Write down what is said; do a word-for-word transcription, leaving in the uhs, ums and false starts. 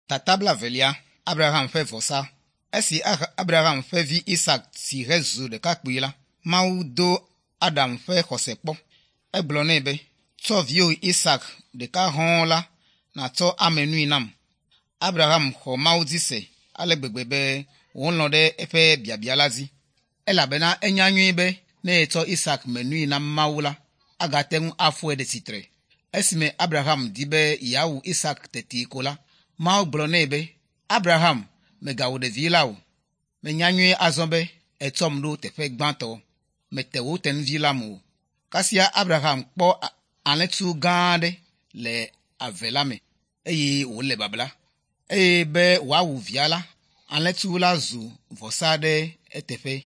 Tata blaevelia Abraham ƒe vɔsa. Esi Abraham ƒe vi Isak si hezu ɖekakpui la, Mawu do Adam ƒe xɔse kpɔ. Egblɔ nɛ be, tsɔ viwò Isak ɖeka hɔ̃ɔ la nàtsɔ ame nui nam. Abraham xɔ Mawu dzi se ale gbegbe be wòlɔ̃ ɖe eƒe biabia la dzi elabena enya nyuie be ne yetsɔ Isak me nui na Mawu la, agate ŋu afɔe ɖe tsitre. Esime Abraham di be yeawu Isak teti ko la, Mawu gblɔ nɛ be, Abraham, mègawu ɖevi la o. Menya nyuie azɔ be ètsɔm ɖo teƒe gbãtɔ. Mète wò tenuvi lam o. Kasia Abraham kpɔ alẽtsu gã aɖe le ave la me eye wòle babla. Eye be wòawu via la, alẽtsu la zu vɔsa ɖe eteƒe.